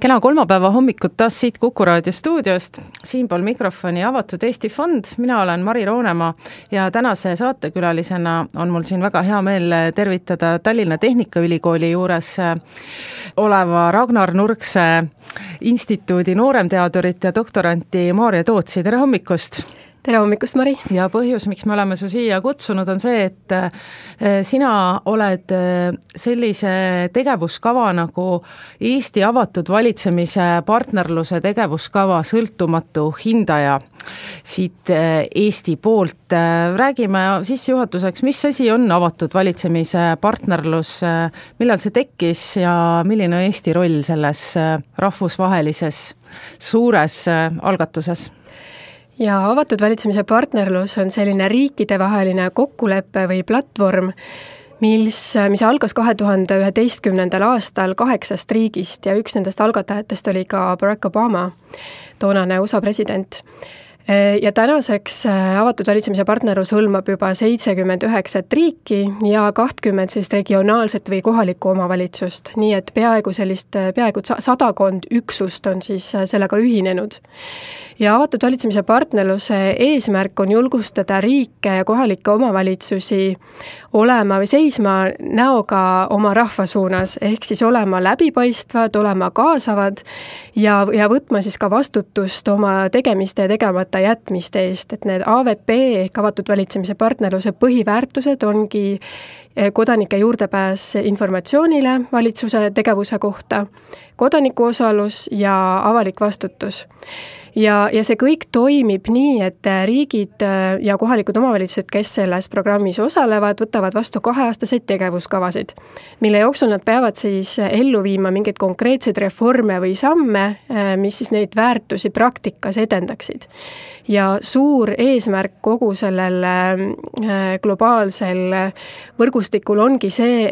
Kena kolmapäeva hommikut taas siit Kuku raadio stuudiost, siinpool mikrofoni Avatud Eesti Fond, mina olen Mari Roonemaa ja tänase saatekülalisena on mul siin väga hea meel tervitada Tallinna Tehnikaülikooli juures oleva Ragnar Nurkse instituudi nooremteadurit ja doktoranti Maarja Tootsi. Tere hommikust! Tere hommikust, Mari! Ja põhjus, miks me oleme su siia kutsunud, on see, et sina oled sellise tegevuskava nagu Eesti avatud valitsemise partnerluse tegevuskava sõltumatu hindaja siit Eesti poolt. Räägime sissejuhatuseks, mis asi on avatud valitsemise partnerlus, millal see tekkis ja milline on Eesti roll selles rahvusvahelises suures algatuses? Ja avatud valitsemise partnerlus on selline riikidevaheline kokkulepe või platvorm, mis algas 2011. aastal 8 riigist ja üks nendest algatajatest oli ka Barack Obama, toonane USA president. Ja tänaseks avatud valitsemise partnerlus hõlmab juba 79 riiki ja 20 sellist regionaalset või kohalikku omavalitsust, nii et peaaegu 100 üksust on siis sellega ühinenud. Ja avatud valitsemise partnerluse eesmärk on julgustada riike ja kohalikke omavalitsusi olema või seisma näoga oma rahva suunas, ehk siis olema läbipaistvad, olema kaasavad ja võtma siis ka vastutust oma tegemiste ja tegemata jätmiste eest, et need AVP ehk avatud valitsemise partnerluse põhiväärtused ongi kodanike juurdepääs informatsioonile valitsuse tegevuse kohta, kodaniku osalus ja avalik vastutus. Ja see kõik toimib nii, et riigid ja kohalikud omavalitsused, kes selles programmis osalevad, võtavad vastu 2-aastaseid tegevuskavasid, mille jooksul nad peavad siis ellu viima mingeid konkreetseid reforme või samme, mis siis neid väärtusi praktikas edendaksid. Ja suur eesmärk kogu sellel globaalsel võrgustikul ongi see,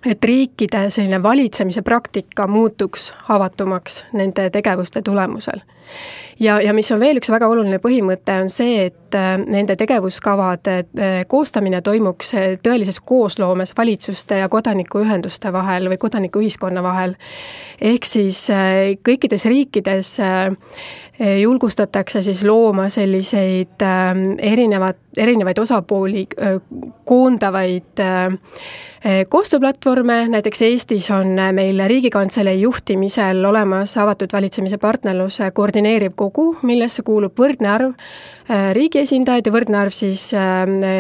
et riikide selline valitsemise praktika muutuks avatumaks nende tegevuste tulemusel. Ja mis on veel üks väga oluline põhimõte, on see, et nende tegevuskavade koostamine toimuks tõelises koosloomes valitsuste ja kodanikuühenduste vahel või kodanikuühiskonna vahel. Ehk siis kõikides riikides julgustatakse siis looma selliseid erinevaid osapooli koondavaid koostööplatvorme, näiteks Eestis on meil Riigikantselei juhtimisel olemas avatud valitsemise partnerluse koordineeriv kogu, millesse kuulub võrdne arv riigi esindajaid ja võrdne arv siis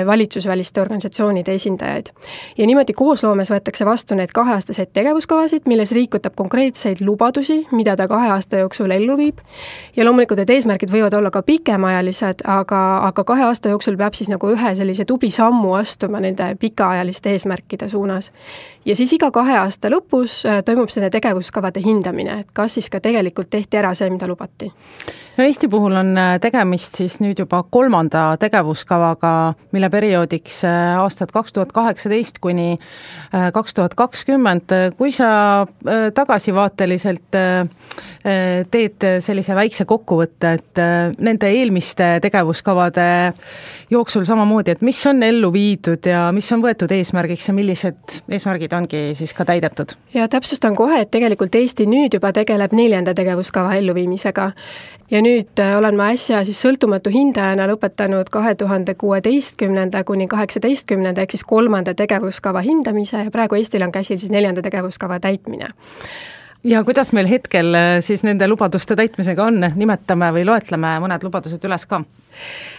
valitsusväliste organisatsioonide esindajaid. Ja niimoodi koosloomes võetakse vastu need 2-aastaseid tegevuskavasid, milles riik võtab konkreetseid lubadusi, mida ta 2 aasta jooksul ellu viib. Ja loomulikult need eesmärgid võivad olla ka pikemaajalised, aga 2 aasta jooksul peab siis nagu ühe sellise tubli sammu astuma nende pikaajaliste eesmärkide suunas. Ja siis iga 2 aasta lõpus toimub selle tegevuskavade hindamine, et kas siis ka tegelikult tehti ära see, mida lubati. No Eesti puhul on tegemist siis nüüd juba 3. tegevuskavaga, mille perioodiks aastad 2018 kuni 2020. Kui sa tagasivaateliselt teed sellise väikse kokkuvõtte, et nende eelmiste tegevuskavade jooksul samamoodi, et mis on ellu viidud ja mis on võetud eesmärgiks ja millised eesmärgid ongi siis ka täidetud? Ja täpsustan kohe, et tegelikult Eesti nüüd juba tegeleb 4. tegevuskava elluviimisega. Ja nüüd olen ma äsja siis sõltumatu hindajana lõpetanud 2016. kuni 18. ehk siis 3. tegevuskava hindamise ja praegu Eestil on käsil siis 4. tegevuskava täitmine. Ja kuidas meil hetkel siis nende lubaduste täitmisega on? Nimetame või loetleme mõned lubadused üles ka?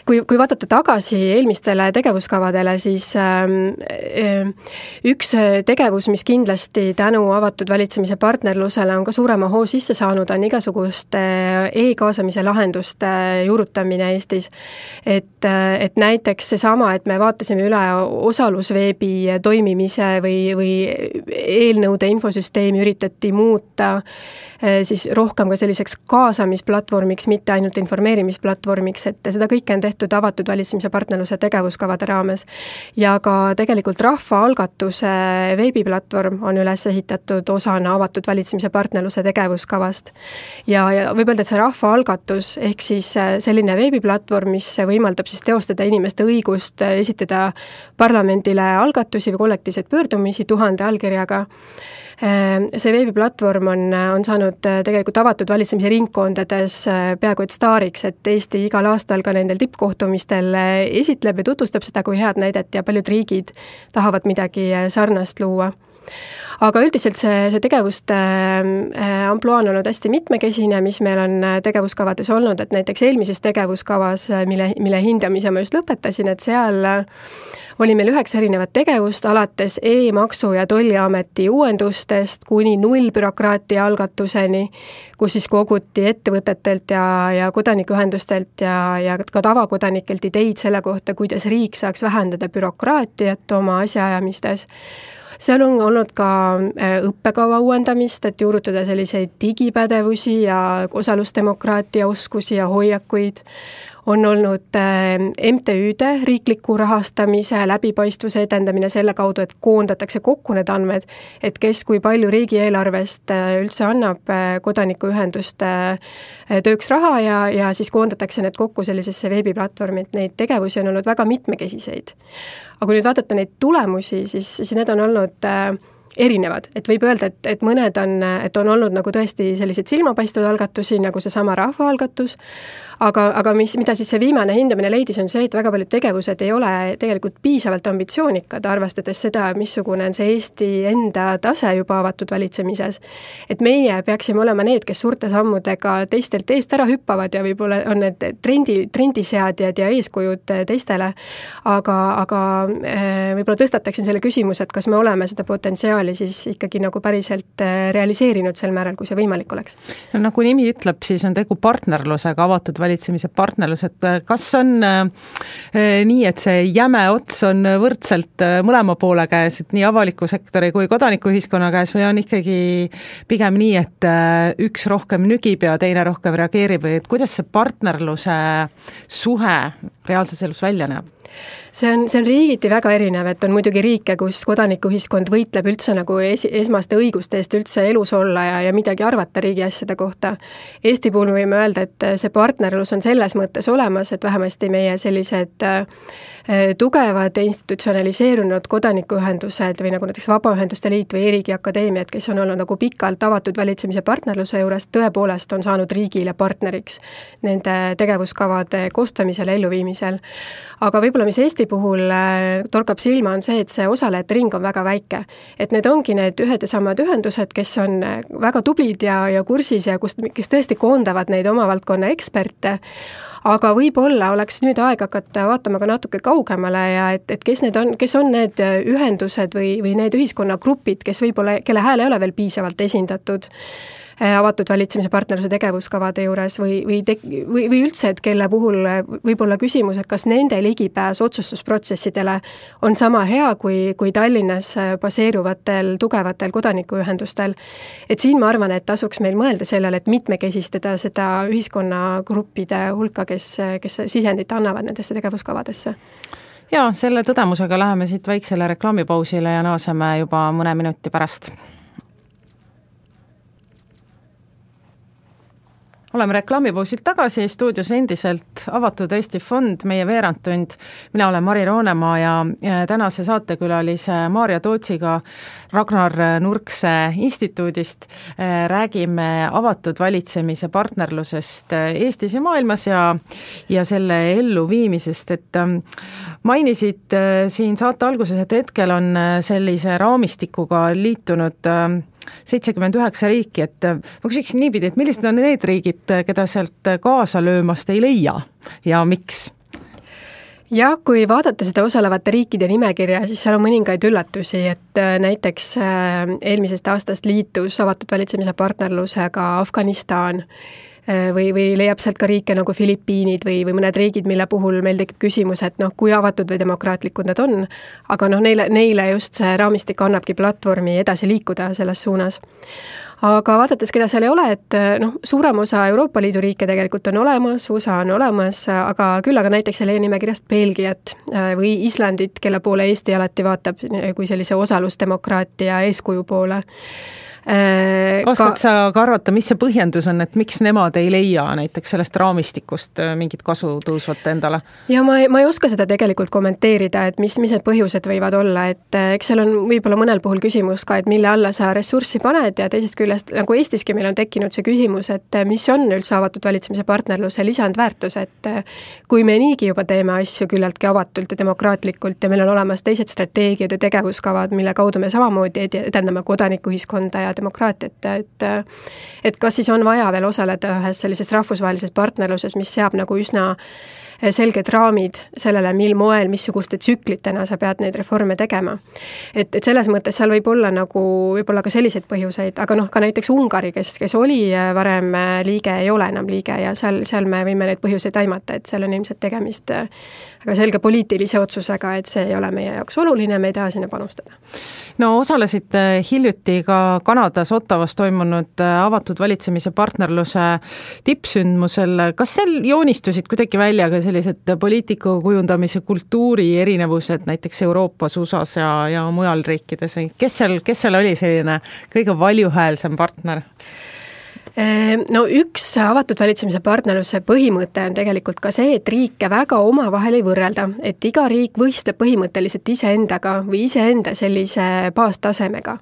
Kui vaadata tagasi eelmistele tegevuskavadele, siis üks tegevus, mis kindlasti tänu avatud valitsemise partnerlusele on ka suurema hoo sisse saanud, on igasuguste e-kaasamise lahenduste juurutamine Eestis. Et näiteks seesama, et me vaatasime üle osalusveebi toimimise või eelnõude infosüsteemi üritati muuta siis rohkem ka selliseks kaasamisplatvormiks, mitte ainult informeerimisplatvormiks, et seda kõike on tehtud avatud valitsemise partnerluse tegevuskavade raames. Ja ka tegelikult rahvaalgatuse veebiplatvorm on üles ehitatud osana avatud valitsemise partnerluse tegevuskavast. Ja võib öelda, et see rahvaalgatus ehk siis selline veebiplatvorm, mis võimaldab siis teostada inimeste õigust esitada parlamendile algatusi või kollektiivseid pöördumisi 1000 allkirjaga, See veebiplatvorm on saanud tegelikult avatud valitsemise ringkondades peaaegu et staariks, et Eesti igal aastal ka nendel tippkohtumistel esitleb ja tutvustab seda kui head näidet ja paljud riigid tahavad midagi sarnast luua. Aga üldiselt see tegevuste ampluaa on olnud hästi mitmekesine, mis meil on tegevuskavades olnud, et näiteks eelmises tegevuskavas, mille hindamise ma just lõpetasin, et seal oli meil 9 erinevat tegevust, alates e-maksu- ja tolliameti uuendustest kuni nullbürokraatia algatuseni, kus siis koguti ettevõtetelt ja kodanikuühendustelt ja ka tavakodanikelt ideid selle kohta, kuidas riik saaks vähendada bürokraatiat oma asjaajamistes. Seal on olnud ka õppekava uuendamist, et juurutada selliseid digipädevusi ja osalusdemokraatia oskusi ja hoiakuid. On olnud MTÜ-de riikliku rahastamise läbipaistvuse edendamine selle kaudu, et koondatakse kokku need andmed, et kes kui palju riigieelarvest üldse annab kodanikuühenduste tööks raha ja siis koondatakse need kokku sellisesse veebiplatvormi, et neid tegevusi on olnud väga mitmekesiseid. Aga kui nüüd vaadata neid tulemusi, siis need on olnud erinevad, et võib öelda, et mõned on olnud nagu tõesti sellised silmapaistvad algatusi, nagu see sama rahvaalgatus, aga mida siis see viimane hindamine leidis, on see, et väga paljud tegevused ei ole tegelikult piisavalt ambitsioonikad, arvestades seda, missugune on see Eesti enda tase juba avatud valitsemises. Et meie peaksime olema need, kes suurte sammudega teistelt eest ära hüppavad ja võib-olla on need trendiseadjad ja eeskujud teistele, aga võib-olla tõstataksin selle küsimuse, et kas me oleme seda potentsiaali siis ikkagi nagu päriselt realiseerinud sel määral, kui see võimalik oleks. No, nagu nimi ütleb, siis on tegu partnerlusega, avatud valitsemise partnerlus, et kas on nii, et see jäme ots on võrdselt mõlema poole käes, et nii avaliku sektori kui kodanikuühiskonna käes, või on ikkagi pigem nii, et üks rohkem nügib ja teine rohkem reageerib, või et kuidas see partnerluse suhe reaalses elus välja näeb? See on riigiti väga erinev, et on muidugi riike, kus kodanikuühiskond võitleb üldse nagu esmaste õiguste eest üldse elus olla ja midagi arvata riigi asjade kohta. Eesti puhul võime öelda, et see partnerlus on selles mõttes olemas, et vähemasti meie sellised tugevad ja institutsionaliseerunud kodanikuühendused või nagu näiteks Vabaühenduste Liit või E-riigi Akadeemiad, kes on olnud nagu pikalt avatud valitsemise partnerluse juures, tõepoolest on saanud riigile partneriks nende tegevuskavade koostamisel ja elluviimisel. Aga võib-olla mis Eesti puhul torkab silma on see, et see osalejate ring on väga väike. Et need ongi need ühed ja samad ühendused, kes on väga tublid ja kursis ja kes tõesti koondavad neid oma valdkonna eksperte, aga võib-olla oleks nüüd aeg hakata vaatama ka natuke kaugemale ja et kes on need ühendused või need ühiskonnagrupid, kes võib-olla, kelle hääl ei ole veel piisavalt esindatud avatud valitsemise partnerluse tegevuskavade juures või üldse, et kelle puhul võib olla küsimus, et kas nende ligipääs otsustusprotsessidele on sama hea kui Tallinnas baseeruvatel tugevatel kodanikuühendustel. Et siin ma arvan, et tasuks meil mõelda sellele, et mitmekesistada seda ühiskonnagruppide hulka, kes sisendit annavad nendesse tegevuskavadesse. Ja, selle tõdemusega läheme siit väiksele reklaamipausile ja naaseme juba mõne minuti pärast. Oleme reklaamipausilt tagasi, stuudios endiselt avatud Eesti Fond, meie veerandtund. Mina olen Mari Roonemaa ja tänase saatekülalise Maarja Tootsiga Ragnar Nurkse instituudist räägime avatud valitsemise partnerlusest Eestis ja maailmas ja selle elluviimisest, et mainisid siin saate alguses, et hetkel on sellise raamistikuga liitunud 79 riiki, et ma küsiks niipidi, et millised on need riigid, keda sealt kaasa löömast ei leia ja miks? Ja kui vaadata seda osalevate riikide nimekirja, siis seal on mõningaid üllatusi, et näiteks eelmisest aastast liitus avatud valitsemise partnerlusega Afganistan või leiab sealt ka riike nagu Filipiinid või mõned riigid, mille puhul meil tekib küsimus, et kui avatud või demokraatlikud nad on, aga neile just see raamistik annabki platvormi edasi liikuda selles suunas. Aga vaadates, keda seal ei ole, et suurem osa Euroopa Liidu riike tegelikult on olemas, USA on olemas, aga näiteks selle nimekirjast Belgiat või Islandit, kelle poole Eesti alati vaatab kui sellise osalusdemokraatia eeskuju poole. Oskad sa ka arvata, mis see põhjendus on, et miks nemad ei leia näiteks sellest raamistikust mingit kasu tõusvat endale? Ja ma ei oska seda tegelikult kommenteerida, et mis need põhjused võivad olla, et eks seal on võib-olla mõnel puhul küsimus ka, et mille alla sa ressurssi paned ja teisest küljest, nagu Eestiski meil on tekkinud see küsimus, et mis on üldse avatud valitsemise partnerluse lisandväärtus, et kui me niigi juba teeme asju küllaltki avatult ja demokraatlikult ja meil on olemas teised strateegiad ja tegevuskavad, mille kaudu me samamoodi edendame kodanikuühiskonda ja demokraatiat, et kas siis on vaja veel osaleda ühes sellises rahvusvahelises partnerluses, mis seab nagu üsna selged raamid sellele, mil moel, missuguste tsüklitena sa pead neid reforme tegema. Et selles mõttes seal võib olla ka selliseid põhjuseid, aga ka näiteks Ungari, kes oli varem liige, ei ole enam liige ja seal me võime neid põhjuseid aimata, et seal on ilmselt tegemist väga selge poliitilise otsusega, et see ei ole meie jaoks oluline, me ei taha sinna panustada. No osalesid hiljuti ka Kanadas Ottawas toimunud avatud valitsemise partnerluse tippsündmusel. Kas seal joonistusid kuidagi välja ka sellised poliitika kujundamise kultuuri erinevused näiteks Euroopas, USAs ja mujal riikides või kes seal oli selline kõige valjuhäälsem partner? No üks avatud valitsemise partnerluse põhimõte on tegelikult ka see, et riike väga omavahel ei võrrelda, et iga riik võistleb põhimõtteliselt iseendaga või iseenda sellise baastasemega.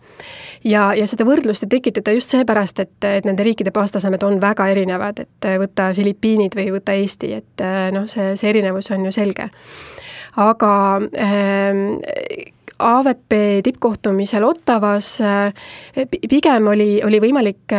Ja seda võrdlust ei tekitada just seepärast, et nende riikide baastasemed on väga erinevad, et võtta Filipiinid või võtta Eesti, et see erinevus on ju selge. Aga AVP tippkohtumisel Ottawas pigem oli võimalik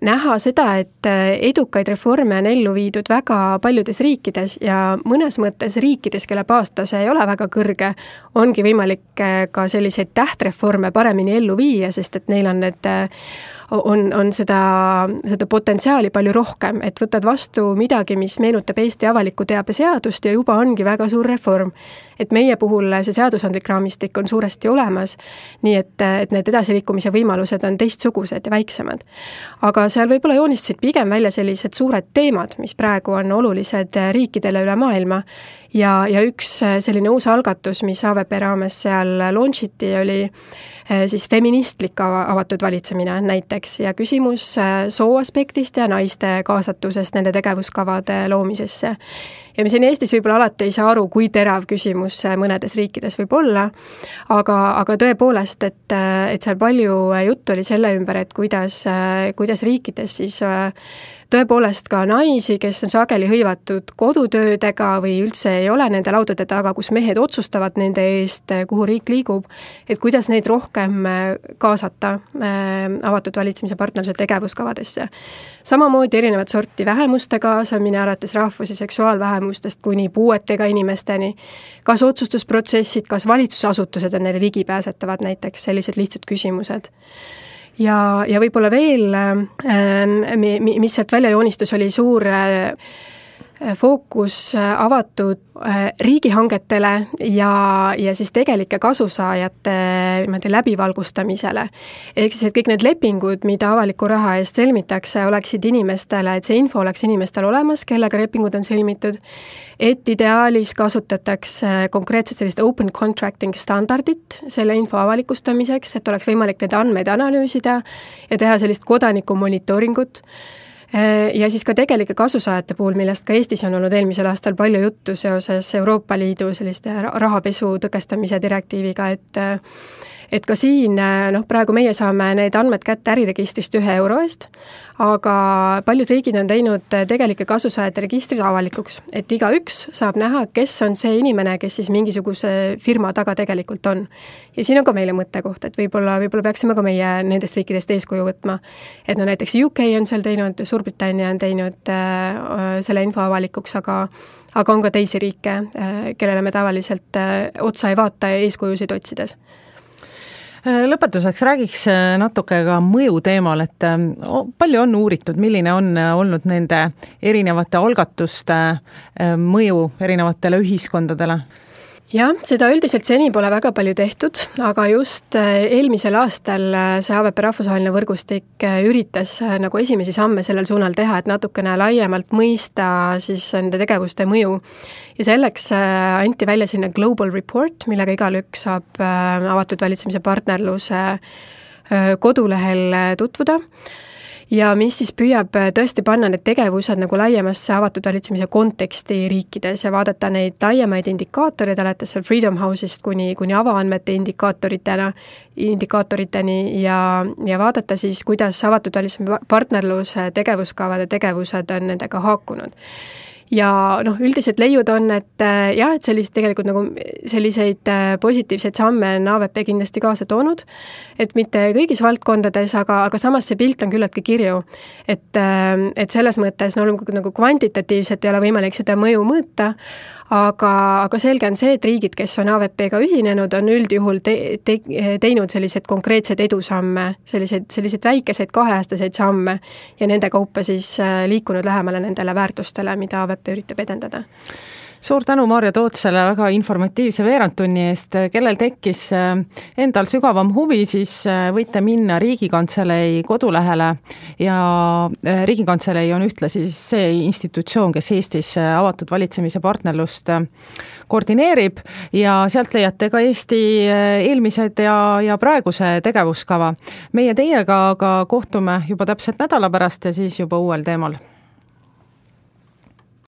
näha seda, et edukaid reforme on ellu viidud väga paljudes riikides ja mõnes mõttes riikides, kelle baastase ei ole väga kõrge, ongi võimalik ka selliseid tähtreforme paremini ellu viia, sest et neil on seda potentsiaali palju rohkem, et võtad vastu midagi, mis meenutab Eesti avaliku teabe seadust ja juba ongi väga suur reform. Et meie puhul see seadusandlik raamistik on suuresti olemas, nii et need edasiliikumise võimalused on teistsugused ja väiksemad. Aga seal võib-olla joonistusid pigem välja sellised suured teemad, mis praegu on olulised riikidele üle maailma ja üks selline uus algatus, mis AVP raames seal launchiti, oli siis feministlik avatud valitsemine näiteks ja küsimus soo aspektist ja naiste kaasatusest nende tegevuskavade loomisesse. Ja me siin Eestis võib-olla alati ei saa aru, kui terav küsimus mõnedes riikides võib olla, aga tõepoolest, et seal palju juttu oli selle ümber, et kuidas riikides siis tõepoolest ka naisi, kes on sageli hõivatud kodutöödega või üldse ei ole nende laudade taga, kus mehed otsustavad nende eest, kuhu riik liigub, et kuidas neid rohkem kaasata avatud valitsemise partnerluse tegevuskavadesse. Samamoodi erinevat sorti vähemuste kaasamine, alates rahvus- ja seksuaalvähemustest kuni puuetega inimesteni, kas otsustusprotsessid, kas valitsusasutused on neile ligipääsetavad, näiteks sellised lihtsad küsimused. Ja võib-olla veel, mis sealt välja joonistus, oli suur fookus avatud riigihangetele ja siis tegelike kasusaajate läbivalgustamisele. Ehk siis, et kõik need lepingud, mida avaliku raha eest sõlmitakse, oleksid inimestele, et see info oleks inimestel olemas, kellega lepingud on sõlmitud, et ideaalis kasutatakse konkreetselt sellist open contracting standardit selle info avalikustamiseks, et oleks võimalik neid andmeid analüüsida ja teha sellist kodaniku monitooringut. Ja siis ka tegelike kasusaajate puhul, millest ka Eestis on olnud eelmisel aastal palju juttu seoses Euroopa Liidu selliste rahapesu tõkestamise direktiiviga, et ka siin, praegu meie saame need andmed kätte äriregistrist 1 euro eest, aga paljud riigid on teinud tegelike kasusaajate registrid avalikuks, et igaüks saab näha, kes on see inimene, kes siis mingisuguse firma taga tegelikult on. Ja siin on ka meile mõttekoht, et võib-olla peaksime ka meie nendest riikidest eeskuju võtma. Et näiteks UK on seal teinud, Suurbritannia on teinud selle info avalikuks, aga on ka teisi riike, kellele me tavaliselt otsa ei vaata eeskujusid otsides. Lõpetuseks räägiks natuke ka mõju teemal, et palju on uuritud, milline on olnud nende erinevate algatuste mõju erinevatele ühiskondadele? Jah, seda üldiselt seni pole väga palju tehtud, aga just eelmisel aastal see AVP rahvusvaheline võrgustik üritas nagu esimesi samme sellel suunal teha, et natukene laiemalt mõista siis nende tegevuste mõju. Ja selleks anti välja sinna Global Report, millega igalüks saab avatud valitsemise partnerluse kodulehel tutvuda ja mis siis püüab tõesti panna need tegevused nagu laiemasse avatud valitsemise konteksti riikides ja vaadata neid laiemaid indikaatoreid, alates seal Freedom House'ist kuni avaandmete indikaatoriteni ja vaadata siis, kuidas avatud valitsemise partnerluse tegevuskavade tegevused on nendega haakunud. Ja üldiselt leiud on, et jah, et tegelikult nagu selliseid positiivseid samme on AVP kindlasti kaasa toonud, et mitte kõigis valdkondades, aga samas see pilt on küllaltki kirju, et selles mõttes nagu kvantitatiivselt ei ole võimalik seda mõju mõõta, aga selge on see, et riigid, kes on AVP-ga ühinenud, on üldjuhul teinud sellised konkreetsed edusamme, selliseid väikeseid kaheaastaseid samme ja nende kaupa siis liikunud lähemale nendele väärtustele, mida AVP üritab edendada. Suur tänu Maarja Tootsele väga informatiivse veerandtunni eest. Kellel tekkis endal sügavam huvi, siis võite minna Riigikantselei kodulehele ja Riigikantselei on ühtlasi see institutsioon, kes Eestis avatud valitsemise partnerlust koordineerib ja sealt leiate ka Eesti eelmised ja praeguse tegevuskava. Meie teiega aga kohtume juba täpselt nädala pärast ja siis juba uuel teemal.